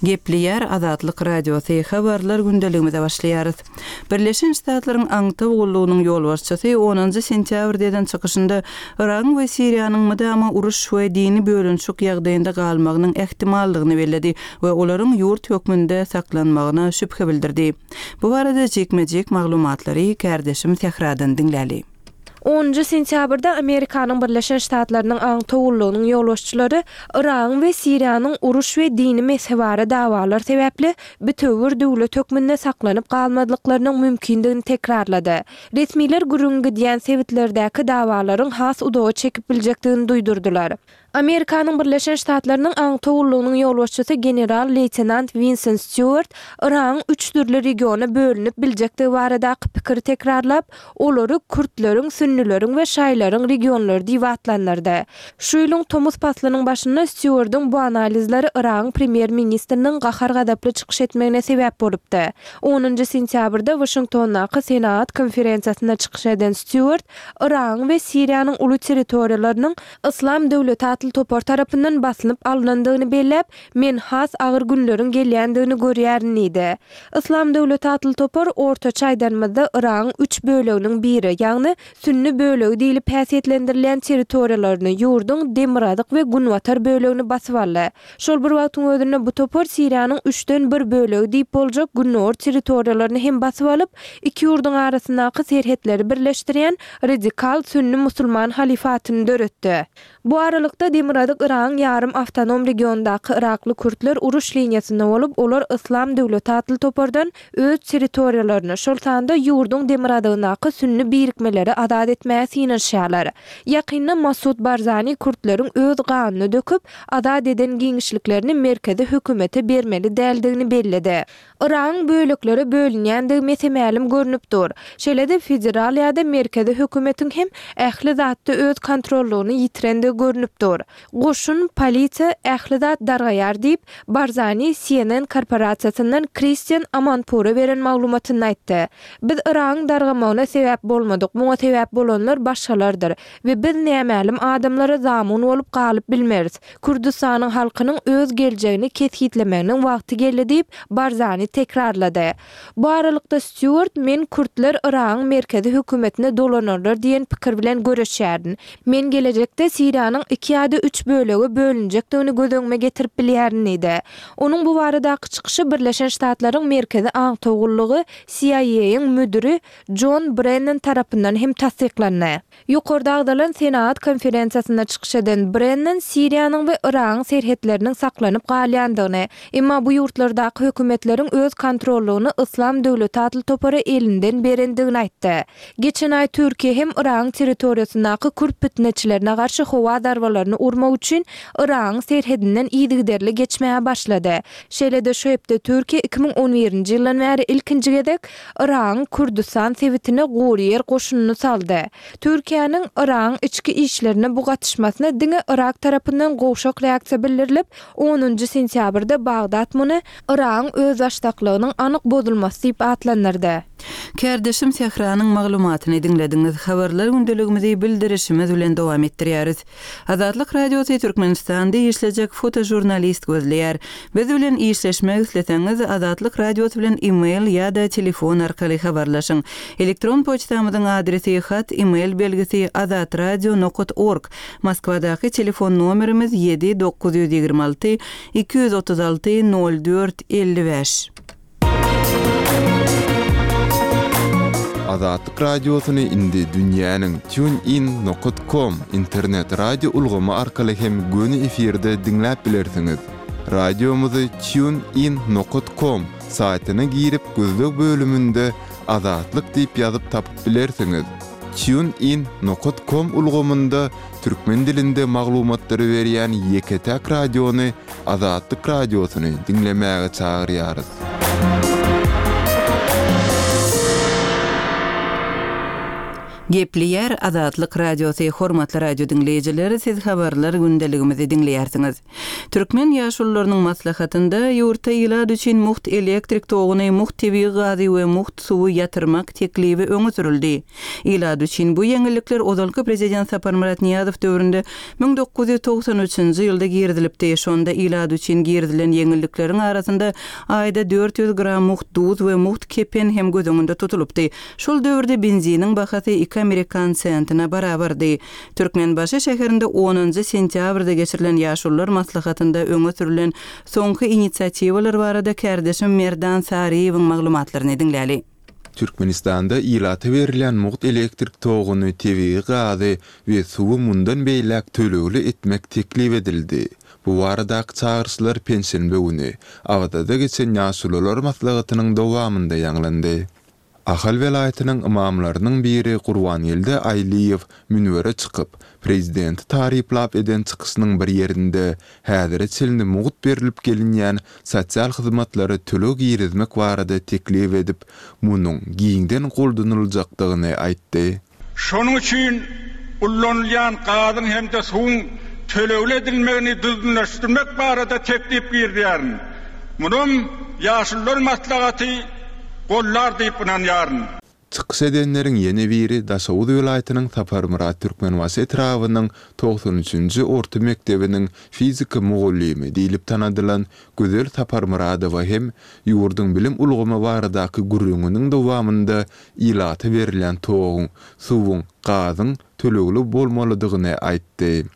Gepleýär Azatlyk Radiosy, Habarlar gündeligimize başlaýarys. Birleşen Ştatlaryň aňtaw gullugynyň ýolbaşçysy onunjy sentýabrda eden çykyşynda Yragyň we Siriýanyň mydama uruş we dini bölünişik ýagdaýynda galmagynyň ähtimallygyny belledi we olaryň ýurt hökmünde saklanmagyna şübhe bildirdi. Bu barada jikme-jik maglumatlary kärdeşim Sähradan diňläli. Onunjy sentýabrda Amerikanyň Birleşen Ştatlarynyň aňtaw gullugynyň ýolbaşçylary Yragyň we Siriýanyň uruş we dini mezhebara dawalar sebäpli bitewi bir döwlet hökmünde saklanyp galmazlyklarynyň mümkindigini tekrarlady. Resmiler gürrüňi gidýän sebitlerdäki dawalaryň has uzaga çekip biljekdigini duýdurdylar. Amerikanyň Birleşen Ştatlarynyň aňtaw gullugynyň ýolbaşçysy general-leýtenant Winsent Stýuart Yragyň üç dürli regiona bölünip biljekdigi baradaky pikiri tekrarlap, olary kürtleriň, sünnüleriň we şaýylaryň regionlary diýip atlandyrdy. Şu ýylyň tomus paslynyň başynda Stýuardyň bu analizleri Yragyň premýer-ministriniň gahar-gazaply çykyş etmegine sebäp bolupdy. Onunjy sentýabrda Waşingtondaky senagat konferensiýasynda çykyş eden Stýuart Yragyň we Siriýanyň uly territoriýalarynyň Yslam döwleti atly topar tarapyndan basylyp alnandygyny belläp, Men has agyr günleriň gelýändigini görýärin diýdi. Yslam döwleti atly topar, ortaça aýdanymyzda, Yragyň üç böleginiň biri, ýagny sünni bölegi diýlip häsiýetlendirilýän territoriýalaryny, ýurduň demirgazyk we günbatar bölegini basyp aldy. Şol bir wagtyň özünde bu topar Siriýanyň üçden bir bölegi diýip boljak gündogar territoriýalaryny hem basyp alyp, iki ýurduň arasyndaky serhetleri birleşdirýän radikal sünni musulman halyfatyny döretdi. Bu aralykda, demirgazyk Yragyň ýarym awtonom regionyndaky yrakly kürtler uruş liniýasynda bolup, olar Yslam döwleti atly topardan öz territoriýalaryny, şol sanda ýurduň demirgazygyndaky sünni birikmeleri azat etmäge synanyşýarlar. Ýakynda Masud Barzani kürtleriň öz ganyny döküp, azat eden giňişliklerini merkezi hökümete bermeli däldigini belledi. Yragyň böleklere bölünýändigi mese-mälim görnüp dur. Şeýle-de federal ýa-da merkezi hökümetiň hem ähli zatda öz kontrollygyny ýitirendigi görnüp dur. Goşun, polisiýa, ähli zat dargaýar diýip, Barzani CNN korporasiýasyndan Kristian Amanpura beren maglumatynda aýtdy. Biz Yragyň dargamagyna sebäp bolmadyk, muňa sebäp bolanlar başgalardyr we biz nämälim adamlara zamun bolup galyp bilmeris. Kürdüstanyň halkynyň öz geljegini kesgitlemeginiň wagty geldi diýip, Barzani tekrarlady. Bu aralykda Stýuart men kürtler Yragyň merkezi hökümetine dolanarlar diýen pikir bilen göreşýärin. Men gelejekde Siriýanyň iki ýa-da üç bölege bölünjekdigini göz öňüme getirip bilýärin diýdi. Onuň bu baradaky çykyşy Birleşen Ştatlaryň Merkezi aňtaw gullugy CIA-yň müdiri Jon Brennan tarapyndan hem tassyklandy. Ýokarda agzalan senagat konferensiýasynda çykyş eden Brennan Siriýanyň we Yragyň serhetleriniň saklanyp galýandygyny, emma bu ýurtlardaky hökümetleriň öz kontrollygyny Yslam döwleti atly topara elinden berendigini aýtdy. Geçen aý Türkiýe hem Yragyň territoriýasyndaky kürt pitneçilerine garşy howa zarbalaryny urmak üçin Yragyň serhedinden yzygiderli geçmäge başlady. Şeýle-de şu hepde Türkiýe 2011-nji ýyldan bäri ilkinji gezek Yragyň Kürdüstan sebitine gury ýer goşunyny saldy. Türkiýäniň Yragyň içki işlerine bu gatyşmasyna diňe Yrak tarapyndan gowşak reaksiýa bildirilip, onunjy sentýabrda Bagdat muny Yragyň özbaşdaklygynyň anyk bozulmasy diýip atlandyrdy. Kärdeşim Sähranyň maglumatyny diňlediňiz. Habarlar gündeligimizi bildirişimiz bilen dowam etdirýäris. Azatlyk Radiosy Türkmenistanda işlejek fotožurnalist gözleýär. Biz bilen işleşmek isleseňiz, Azatlyk Radiosy bilen e-mail ýa-da telefon arkaly habarlaşyň. Elektron poçtamyzyň adresi hat e-mail belgisi azatradio nokat org, Moskwadaky telefon nomerimiz 7 926 236 04 55. Azatlyk Radiosyny indi dünýäniň TuneIn nokat com internet radio ulgamy arkaly hem göni efirde diňläp bilersiňiz. Radiomyzy TuneIn nokat com saýtyna girip gözleg bölüminde Azatlyk diýip ýazyp tapyp bilersiňiz. TuneIn nokat com ulgamynda türkmen dilinde maglumatlary berýän ýeke-täk radiony Azatlyk Radiosyny diňlemäge çagyrýarys. Gepleýär Azatlyk Radiosy, Hormatly radio diňleýjiler, siz habarlar gündeligimizi diňleýärsiňiz. Türkmen ýaşulularynyň maslahatynda ýurtda ilat üçin mugt elektrik toguny, mugt tebigy gazy we mugt suwy ýatyrmak teklibi öňe sürüldi. Ilat üçin bu ýeňillikler ozalky prezident Saparmyrat Nyýazow döwründe 1993-nji ýylda girizilipdi. Şonda ilat üçin girizilen ýeňillikleriň arasynda aýda 400 gram mugt duz we mugt kepen hem göz öňünde tutulypdy. Şol döwürde benziniň bahasy iki amerikan sentine barabardy. Türkmenbaşy şäherinde onunjy sentýabrda geçirilen Ýaşulular maslahatynda öňe sürlen soňky inisiatiwalar barada kärdeşim Merdan Saryýewiň maglumatlaryny diňläli. Türkmenistanda ilata berilýän mugt elektrik toguny, tebigy gazy we suwy mundan beýläk tölegli etmek teklip edildi. Bu baradaky çagyryşlar penşenbe güni, Awazada geçen Ýaşulular maslahatynyň dowamynda ýaňlandy. Ahal welaýatynyň ymamlarynyň biri Gurbangeldi Aýlyýew münbere çykyp, prezidenti taryplap eden çykyşynyň bir ýerinde häzire çenli mugt berlip gelinýän sosial hyzmatlara töleg girizmek barada teklip edip, munuň giňden goldanyljakdygyny aýtdy. Şonuň üçin ullanylýan gazyň hem-de suwuň tölegli edilmegini düzgünleşdirmek barada teklip girizýärin. Munam Ýaşulular maslahaty goldar diýip ynanýaryn. Çykyş edenleriň ýene biri Daşoguz welaýatynyň Saparmyrat Türkmenbaşy etrabynyň togsan üçünji orta mekdebiniň fizika mugallymy diýlip tanadylan Gözel Saparmyradowa hem ýurduň bilim ulgamy baradaky gürrüňiniň dowamynda ilata berilýän toguň, suwuň, gazyň tölegli bolmalydygyny aýtdy.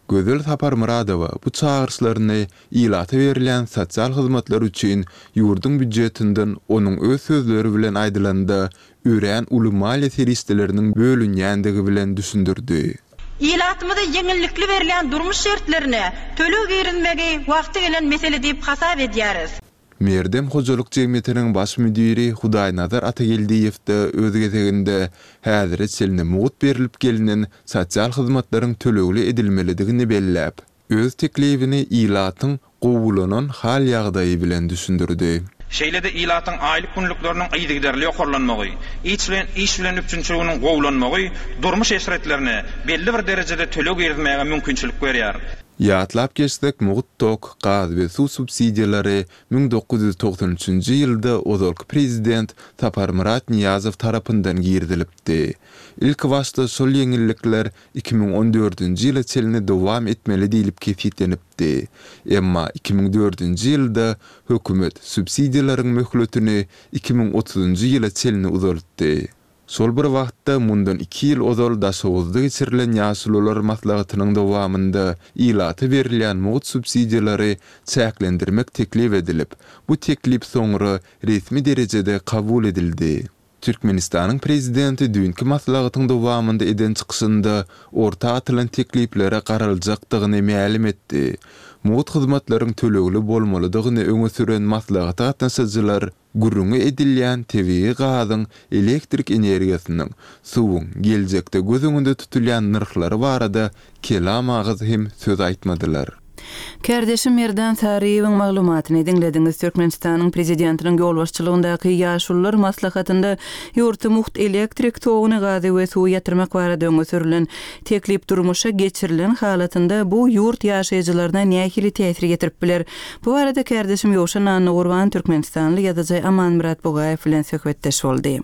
Gözel Saparmyradowa bu çagyryşlaryny ilata berilýän sosial hyzmatlar üçin ýurduň býujetinden onuň öz sözleri bilen aýdylanda örän uly maliýe serişdeleriniň bölünýändigi bilen düşündirdi. Ilatymyza ýeňillikli berilýän durmuş şertlerine töleg girizmegi wagty gelen mesele diýip hasap edýäris. Merdem hojalyk jemgyýetiniň baş müdiri Hudaýnazar Atageldiýew-de öz gezeginde häzire çenli mugt berlip gelnen sosial hyzmatlaryň tölegli edilmelidigini belläp, öz teklibini ilatyň gowulanan hal-ýagdaýy bilen düşündirdi. Şeýle-de ilatyň aýlyk-günlükleriniň yzygiderli ýokarlanmagy, iş bilen iş bilen üpjünçiliginiň gowulanmagy durmuş eşretlerine belli bir derejede töleg girizmäge mümkinçilik berýär. Ýatlap geçsek, mugt tok, gaz we suw subsidiýalary 1993-nji ýylda ozalky prezident Saparmyrat Nyýazow tarapyndan girizilipdi. Ilkibaşda şol ýeňillikler 2014-nji ýyla çenli dowam etmeli diýlip kesgitlenipdi. Emma 2004-nji ýylda hökümet subsidiýalaryň möhletini 2030-njy ýyla çenli uzaltdy. Şol bir wagtda, mundan iki ýyl ozal Daşoguzda geçirilen Ýaşulular maslahatynyň dowamynda ilata berilýän mugt subsidiýalary çäklendirmek teklip edilip, bu teklip soňra resmi derejede kabul edildi. Türkmenistanyň prezidenti düýnki maslahatyň dowamynda eden çykyşynda orta atylan tekliplere garaljakdygyny mälim etdi. Mugt hyzmatlaryň tölegli bolmalydygyny öňe süren maslahata gatnaşyjylar Gürrüňi edilýän tebigy gazyň, elektrik energiýasynyň, suwuň geljekde göz öňünde tutulýan nyrhlary barada kelam agyz hem söz aýtmadylar. Kärdeşim Merdan Saryýewiň maglumatyny diňlediňiz. Türkmenistanyň Prezidentiniň ýolbaşçylygyndaky Ýaşulular maslahatynda ýurtda mugt elektrik toguny, gazy we suwy ýatyrmak barada öňe sürlen teklip durmuşa geçirilen halatynda bu ýurt ýaşaýjylaryna nähili täsir ýetirip biler? Bu barada kärdeşim Ýowşan Annagurban türkmenistanly ýazyjy Amanmyrat Bugaýew bilen söhbetdeş boldy.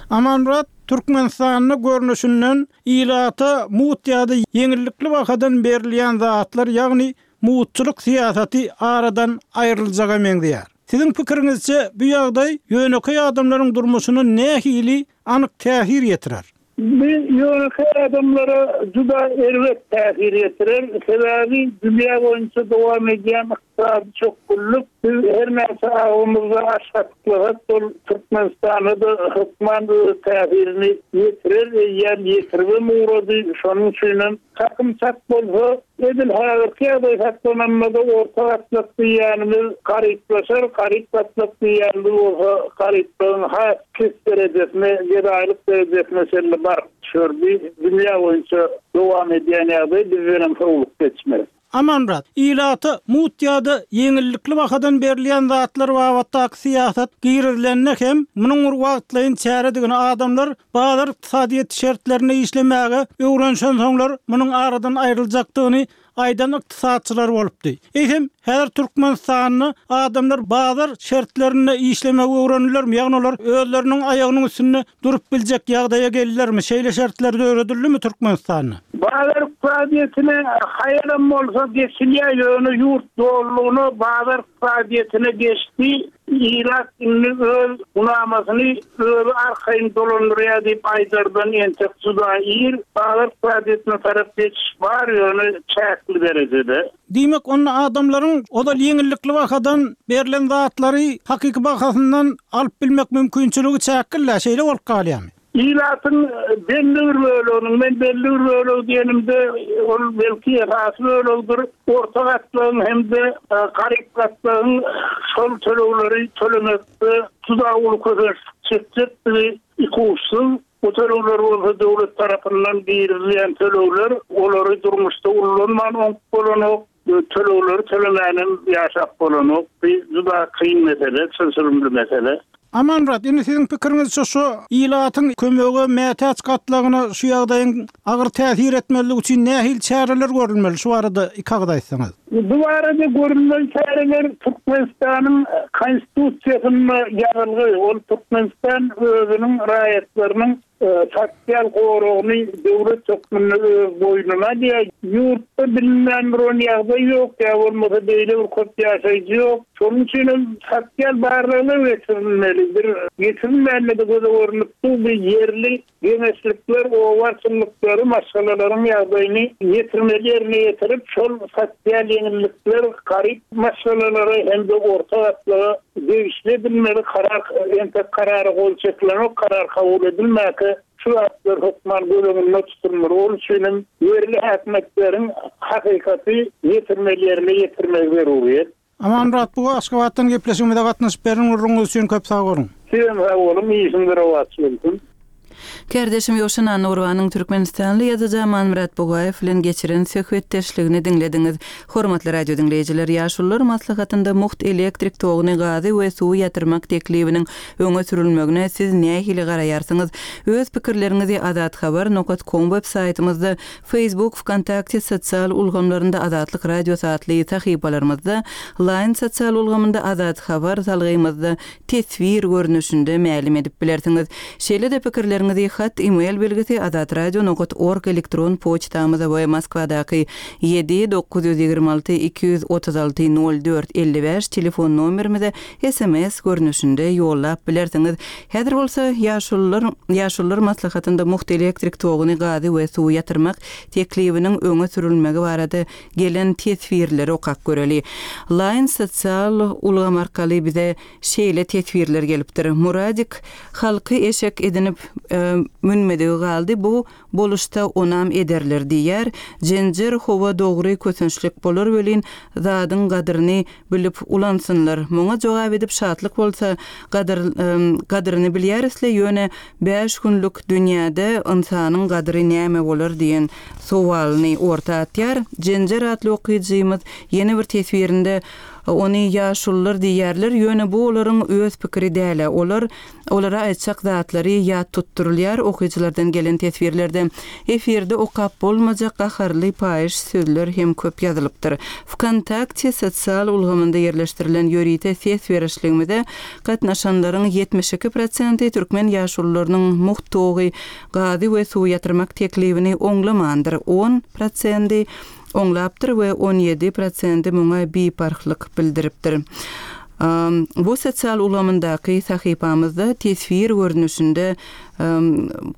Amanmyrat, Türkmenistanda görnüşinden ilata mugt ýa-da ýeňillikli bahadan berilýän zatlar, ýagny mugtçulyk syýasaty aradan aýryljaga meňzeýär. Siziň pikiriňizçe, bu ýagdaý ýönekeý adamlaryň durmuşyna nähili anyk täsir ýetirer? Bu ýönekeý adamlara juda erbet täsir ýetirer, sebäbi dünýä boýunça dowam edýän ykdysady çökgünlik biz her näçe agzymyzda aş gatyklasak ol Türkmenistana-da hökman öz täsirini ýetirer, eýýäm ýetiribem ugrady, şonuň üçinem Çakym çak bolsa, edil häzirki ýagdaý saklananda-da orta gatlak diýýänimiz garyplaşar, garyp gatlak diýýänimiz bolsa garyplygyň has pes derejesine, gedaýlyk derejesine çenli baryp düşer. Bu dünýä boýunça dowam edýän ýagdaý, bizdenem sowlup geçmez. Amanmyrat, ilata mugt ýa-da ýeňillikli bahadan berilýän zatlar babatdaky syýasat girizilende hem munuň bir wagtlaýyn çäredigini, adamlar bazar ykdysadyýeti şertlerinde işlemäge öwrenişensoňlar munuň aradan aýryljakdygyny aýdan ykdysatçylar bolupdy. Eýsem, häzir Türkmenistanda adamlar bazar şertlerinde işlemegi öwrendilermi, ýagny olar özleriniň aýagynyň üstünde durup biljek ýagdaýa geldilermi, şeýle şertler döredildimi Türkmenistanda? Bazar ykdysadyýetine haýalam bolsa geçilýär, ýöne ýurt dolulygyna bazar ykdysadyýetine geçdi, ilat indi öz gunamasyny özi arkaýyn dolandyrýar diýip aýdardan entek juda ir, bazar ykdysadyýetine tarap geçiş bar, ýöne çäkli derejede. Diýmek, onda adamlaryň ozal ýeňillikli bahadan berlen zatlary hakyky bahasyndan alyp bilmek mümkinçiligi çäkli-dä, şeýle bolup galýarmy? Ilatyň belli bir böleginiň, men belli bir bölegi diýenimde, ol belki esasy bölegidir, orta gatlagyň hem-de garyp gatlagyň şol tölegleri tölemekde juda uly kösençlik çekjekdigi ikuçsuz. Bu tölegler bolsa döwlet tarapyndan girizilýän tölegler, olary durmuşda ullanman oňup bolanok, tölegleri tölemänem ýaşap bolanok. Bu juda kyn mesele, çylşyrymly mesele. Amanmyrat, indi siziň pikiriňizçe şu ilatyň kömege mätäç gatlagyna şu ýagdaýyň agyr täsir etmezligi üçin nähili çäreler görülmeli? Şu barada iki agyz aýtsaňyz. Bu barada görülmeli çäreler Türkmenistanyň Konstitusiýasynda ýazylgy, ol Türkmenistan özüniň raýatlarynyň sosial goragyny döwlet hökmünde öz boýnuna alýar. Ýurtda bilinmän duran ýagdaý ýok, ýa bolmasa beýle bir köp ýaşaýjy ýok. Şonuň üçin hem sosial barlaglar geçirilmeli. Bir geçirilmände-de göze görnüp dur, bir ýerli Geňeşlikler oba arçynlyklary maşgalalaryň ýagdaýyny ýetirmeli ýerine ýetirip, şol sosial ýeňillikler garyp maşgalalara hem-de orta gatlaga degişli edilmeli. Karar entek karara gol çekilenok, karar kabul edilmäkä şu zatlar hökman göz öňünde tutulmaly. Ol üçin hem ýerli häkimiýetleriň hakykaty ýetirmeli ýerine ýetirmegi zeruryýet. Amanmyrat buga Aşgabatdan gepleşigimize gatnaşyp beren gürrüňiňiz üçin köp sag boluň. Sizem sag boluň, işiňiz rowaç bolsun. Kärdeşim Ýowşan Annagurbanyň türkmenistanly ýazyjy Amanmyrat Bugaýew bilen geçiren söhbetdeşligini diňlediňiz. Hormatly radio diňleýjiler, Ýaşulular maslahatynda mugt elektrik toguny, gazy we suwy ýatyrmak teklibiniň öňe sürülmegine siz nähili garaýarsyňyz? Öz pikirleriňizi azathabar nokat kom web saýtymyzda Facebook, Wkontakte sosial ulgamlarynda Azatlyk Radiosy atly sahypalarymyzda, Line sosial ulgamynda Azat Habar salgymyzda teswir görnüşinde mälim edip bilersiňiz. Şeýle-de pikirleriňizi hat, e-mail belgisi azatradio nokat org elektron poçtamyza we Moskwadaky ýedi 926 236 04 55 telefon nomerimize sms görnüşinde ýollap bilersiňiz. Häzir bolsa Ýaşulular Ýaşulular maslahatynda mugt elektrik toguny, gazy we suwy ýatyrmak teklibiniň öňe sürülmegi barada gelen teswirleri okap göreli. Line sosial ulgam arkaly bize şeýle teswirler gelipdir, Muradik halky eşek edinip münmedigi galdy, bu Boluşda onam ederler diýýär. Jenjer howa dogry kösençlik bolar welin zadyň gadyryny bilip ulansynlar. Muňa jogap edip Şatlyk bolsa gadyr gadyryny bilýärisle ýöne bäş günlük dünýäde ynsanyň gadyry näme bolar diýen sowalyny orta atýar. Jenjer atly okyjymyz ýene bir teswirinde ony ýaşulular diýýärler ýöne bu olaryň öz pikiri dälä olar Olara aýtjak zatlary ýat tutdurylýar, okyjylardan gelen teswirlerde efirde okap bolmajak gaharly paýyş sözler hem köp ýazylypdyr. Wkontakte sosial ulgamynda ýerleşdirilen ýörite ses berişligimize gatnaşanlaryň 72 prosenti türkmen ýaşulularynyň mugt togy, gazy we suwy ýatyrmak teklibini oňlamandyr, on prosendi oňlapdyr we 17 prosendi muňa biparhlyk bildiripdir. Bu sosial ulgamyndaky sahypamyzda teswir görnüşinde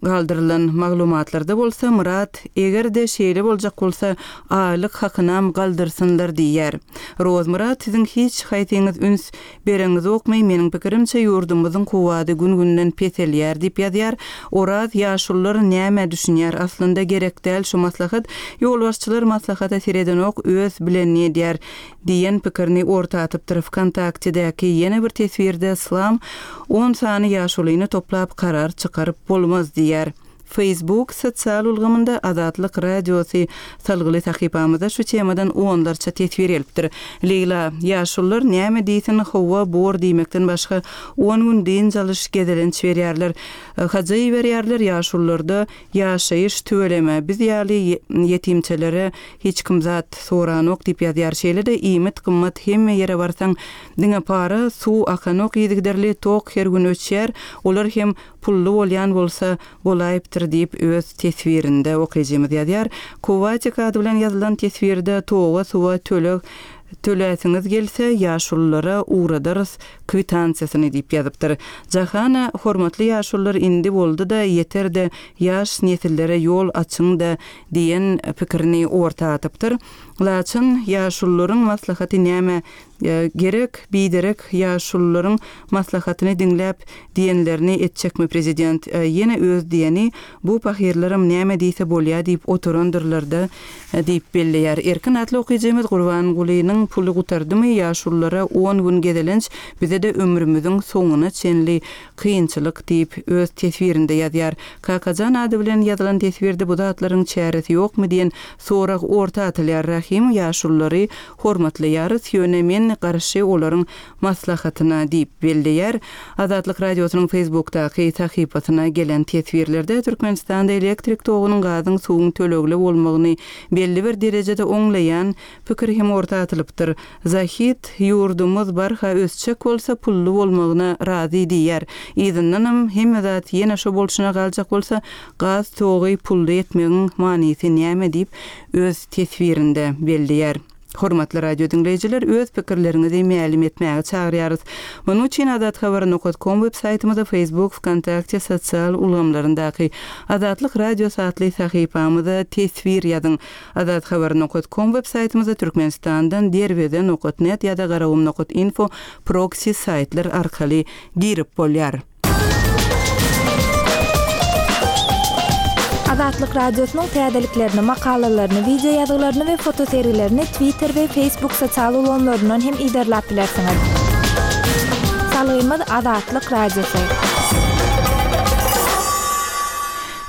galdyrylan maglumatlarda bolsa Myrat eger-de şeýle boljak bolsa aýlyk hakynam galdyrsynlar diýýär. Rozmyrat siziň hiç haýsyňyz üns bereňizokmy meniň pikirimçe ýurdumyzyň kuwwady gün-günden peselýär diýip ýazýar. Oraz ýaşulular nämä düşünýär aslynda gerek däl şu maslahat ýolbaşçylar maslahata seredenok öz bilenini edýär. Diýen pikirini orta atypdyr. Wkontaktedäki ýene bir teswirde Slam on sany ýaşulyny toplap karar çykaryp bolmaz diýýär. Facebook sosial ulgamynda Azatlyk Radiosy salgyly sahypamyzda şu temadan onlarça teswir gelipdir. Leýla, Ýaşulular näme diýsin, hawa, bor diýmekden başga on gün dynç alyş, gezelenç berýärler. Haja iberýärler, ýaşulularda ýaşaýyş tüweleme, biz ýaly ýetimçelere hiç kim zat soranok diýip ýazýar. Şeýle-de iýmit gymmat, hemme ýere barsaň diňe para, suw akanok yzygiderli, tok her gün öçýär, olar hem pully bolýan bolsa bolaýypdyr diýip öz teswirinde okyjymyz ýazýar. Kowatik ady bilen ýazylan teswirde toga suwa töleg töläsiňiz gelse ýaşululara ugradarys kwitansiýasyny diýip ýazypdyr. Jahana hormatly ýaşulular indi boldy-da ýeter-de ýaş nesillere ýol açyň-da diýen pikirini orta atypdyr. Laçyn ýaşulularyň maslahaty nämä Gerek, biderek ýaşulularyň maslahatyny diňläp, diýenlerini etjekmi prezident? Ýene öz diýeni, bu pahyrlaram näme diýse bolýa diýip oturandyrlar-da diýip belleýär. Erkin atly okyjymyz Gurbangulynyň puly gutardymy, ýaşululara on gün gezelenç, bize-de ömrümiziň soňuna çenli kynçylyk diýip, öz teswirinde ýazýar. Kakajan ady bilen ýazylan teswirde bu zatlaryň çäresi ýokmy diýen sorag orta atylýar. Rahym ýaşululary Hormatlaýarys, ýöne men garşy olaryň maslahatyna diýip belleýär. Azatlyk Radiosynyň Facebookdaky sahypasyna gelen teswirlerde Türkmenistanda elektrik togunyň, gazyň, suwuň tölegli bolmagyny belli bir derejede oňlaýan pikir hem orta atylypdyr. Zahid, Ýurdumyz barha ösjek bolsa pully bolmagyna razy diýýär. Yzyndanam hemme zat ýene şo bolşuna galjak bolsa, gaz togy pully etmegiň manysy näme diýip, öz teswirinde belleýär. Hormatly radio diňleýjiler, öz pikirleriňizi mälim etmäge çagyrýarys. Munuň üçin azathabar nokat kom web saýtymyza, Facebook, Wkontakte sosial ulgamlaryndaky Azatlyk Radiosy atly sahypamyza teswir ýazyň. Azathabar nokat kom web saýtymyza Türkmenistandan Derweze nokat net ýa-da Garagum nokat info proksi saýtlar arkaly girip bolýar. Azatlyk Radiosynyň täzeliklerini, makalalaryny, wideo ýazgylaryny we fotosergilerini Twitter we Facebook sosial ulgamlaryndan hem yzarlap bilersiňiz. Salgymyz Azatlyk Radiosy.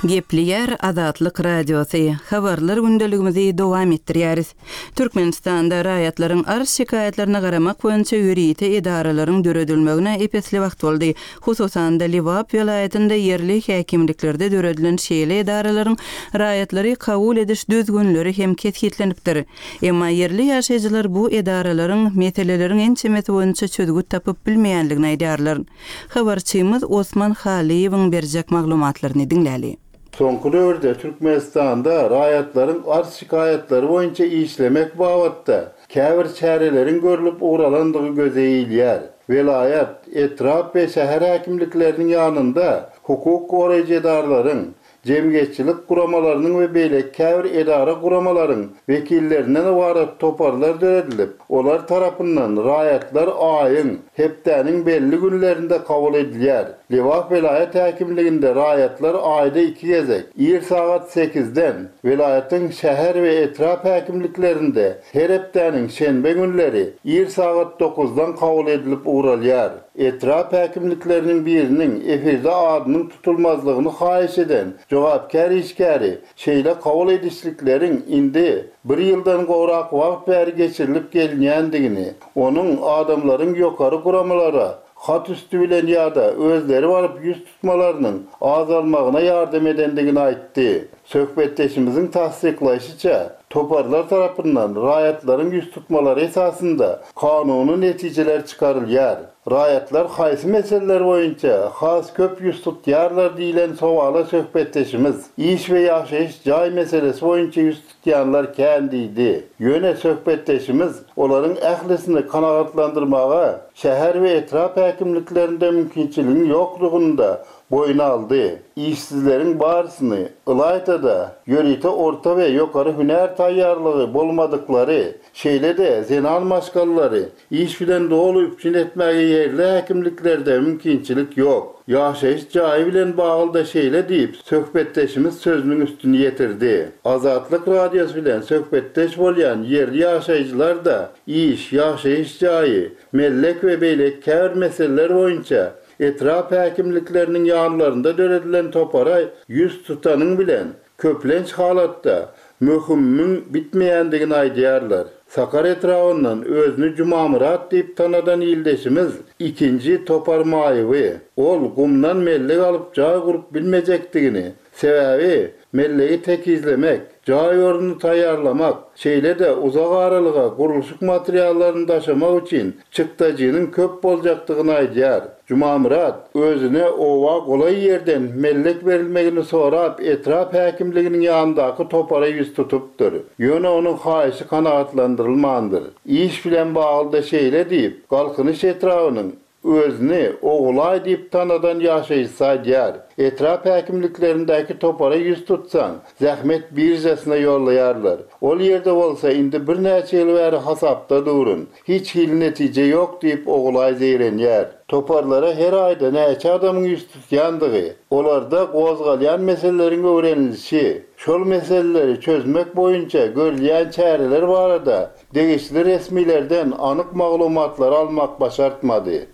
Gepleýär Azatlyk Radiosy, Habarlar gündeligimizi dowam etdirýäris. Türkmenistanda raýatlaryň arz-şikaýatlaryna garamak boýunça ýörite edaralaryň döredilmegine ep-esli wagt boldy. Hususan-da, Lebap welaýatynda ýerli häkimliklerde döredilen şeýle edaralaryň raýatlary kabul ediş düzgünleri hem kesgitlenipdir. Emma ýerli ýaşaýjylar bu edaralaryň meseleleriň ençemesi boýunça çözgüt tapyp bilmeýändigini aýdýarlar. Habarçymyz Osman Halyýewiň berjek maglumatlaryny diňläli. Soňky döwürde Türkmenistanda raýatlaryň arz-şikaýatlary boýunça işlemek babatda käbir çäreleriň görlüp ugralandygy göze ilýär. Welaýat, etrap we şäher häkimlikleriniň ýanynda hukuk goraýjy edaralaryň, jemgyýetçilik guramalarynyň we beýleki käbir edara-guramalaryň wekillerinden ybarat toparlar döredilip, olar tarapyndan raýatlar aýyň, hepdäniň belli günlerinde kabul edilýär. Lebap welaýat häkimliginde raýatlar aýda iki gezek, ir sagat sekizden, welaýatyň şäher we etrap häkimliklerinde her hepdäniň şenbe günleri ir sagat dokuzdan kabul edilip ugralýar. Etrap häkimlikleriniň biriniň efirde adynyň tutulmazlygyny haýyş eden jogapkär işgäri şeýle kabul edişlikleriň indi bir ýyldan gowrak wagt bäri geçirilip gelinýändigini, onuň adamlaryň ýokary guramalara hat üsti bilen ýa-da özleri baryp ýüz tutmalarynyň azalmagyna ýardam edendigini aýtdy. Söhbetdeşimiziň tassyklaýşyça, toparlar tarapyndan raýatlaryň ýüz tutmalary esasynda kanuny netijeler çykarylýar. Raýatlar haýsy meseleler boýunça has köp ýüz tutýarlar diýlen sowala söhbetdeşimiz, iş we ýaşaýyş jaý meselesi boýunça ýüz tutýanlar kän diýdi. Ýöne söhbetdeşimiz olaryň ählisini kanagatlandyrmaga şäher we etrap häkimliklerinde mümkinçiligiň ýokdugyny-da boýun aldy. Işsizleriň barysyny, ylaýta-da, ýörite orta we ýokary hünär taýýarlygy bolmadyklary, şeýle-de zenan maşgalalary Iş bilen doly üpjün etmäge ýerli häkimliklerde mümkinçilik ýok. Ýaşaýyş jaýy bilen bagly-da şeýle diýip, söhbetdeşimiz sözüniň üstüni ýetirdi. Azatlyk Radiosy bilen söhbetdeş bolýan ýerli ýaşaýjylar-da iş, ýaşaýyş jaýy, mellek we beýleki käbir meseleler boýunça. Etrap häkimlikleriniň ýanlarynda döredilen topara ýüz tutanyň bilen, köplenç halatda, möhümiň bitmeýändigini aýdýarlar. Sakar etrabyndan özüni Jumamyrat diýip tanadan ildeşimiz ikinji topar maýyby. Ol gumdan mellek alyp jaý gurup bilmejekdigini, Sebäbi, mellegi tekizlemek, jaý ornuny taýýarlamak, şeýle-de uzak aralyga gurluşyk materiallaryny daşamak üçin çykdajynyň köp boljakdygyny aýdýar. Jumamyrat özüne oba golaý ýerden mellek berilmegini sorap etrap häkimliginiň ýanyndaky topara ýüz tutupdyr. Ýöne onuň haýyşy kanagatlandyrylmandyr. Iş bilen bagly-da şeýle diýip, Galkynyş etrabynyň Özüni Ogulaý diýip tanadan ýaşaýjysy aýdýar, Etrap häkimliklerindäki topara ýüz tutsaň, zähmet biržasyna ýollaýarlar. Ol ýerde bolsa indi birnäçe ýyl bäri hasapda durun. Hiç hili netije ýok diýip, Ogulaý zeýrenýär. Toparlara her aýda näçe adamyň ýüz tutýandygy, olarda gozgalýan meseleleriň öwrenilişi, şol meseleleri çözmek boýunça görülýän çäreler barada Degişli resmilerden anyk maglumatlary almak başartmady.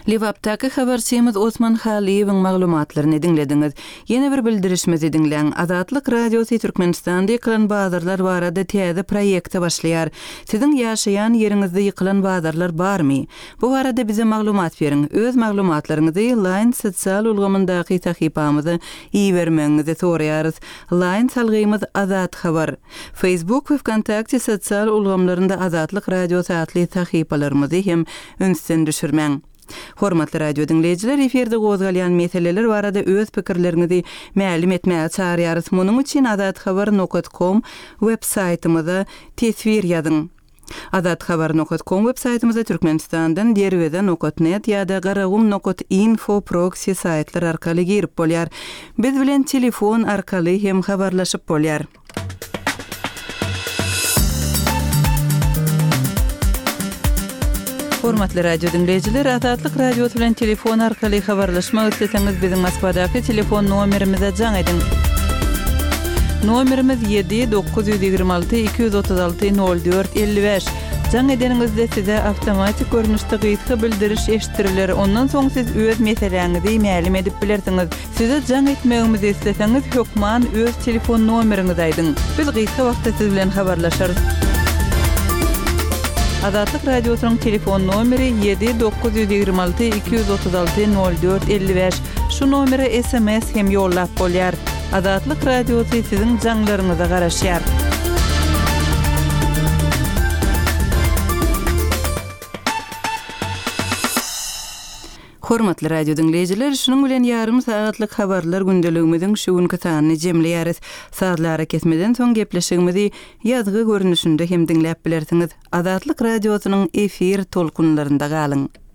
Lebapdaky habarçymyz Osman Halyýewiň maglumatlaryny diňlediňiz. Ýene bir bildirişimizi diňläň. Azatlyk Radiosy Türkmenistanda ýykylan bazarlar barada täze proýekte başlaýar. Siziň ýaşaýan ýeriňizde ýykylan bazarlar barmy? Bu barada bize maglumat beriň. Öz maglumatlaryňyzy Line sosial ulgamyndaky sahypamyza ibermegiňizi soraýarys. Line salgymyz azathabar. Facebook we Wkontakte sosial ulgamlarynda Azatlyk Radiosy atly sahypalarymyzy hem ünsden düşürmäň. Hormatly radio diňleýjiler, efirde gozgalýan meseleler barada öz pikirleriňizi mälim etmäge çagyrýarys. Munuň üçin azathabar nokat kom web saýtymyza teswir ýazyň. Azathabar nokat kom web saýtymyza Türkmenistandan Derweze nokat net ýa-da Garagum nokat info proksi saýtlar arkaly girip bolýar. Biz bilen telefon arkaly hem habarlaşyp bolýar. Hormatly radio diňleýjiler, Azatlyk Radiosy bilen telefon arkaly habarlaşmak isleseňiz, biziň Moskwadaky telefon nomerimize jaň ediň. Nomerimiz 7 926 236 04 55. Jaň edeniňizde size awtomatik görnüşde gysga bildiriş eşitdiriler, ondan soň siz öz meseläňizi mälim edip bilersiňiz. Size jaň etmegimizi isleseňiz hökman öz telefon nomeriňizi aýdyň. Biz gysga wagtda siz bilen habarlaşarys. Azatlyk Radiosynyň telefon nomeri 7 926 236 04 55. Şu nomere sms hem ýollap bolýar. Azatlyk Radiosy siziň jaňlaryňyza garaşýar. Hormatly radio diňleýjiler, şunuň bilen ýarym sagatlyk habarlar gündeligimiziň şu günki sanyny jemleýäris. Sazly arakesmeden soň gepleşigimizi ýazgy görnüşinde hem diňläp bilersiňiz. Azatlyk Radiosynyň efir tolkunlarynda galyň!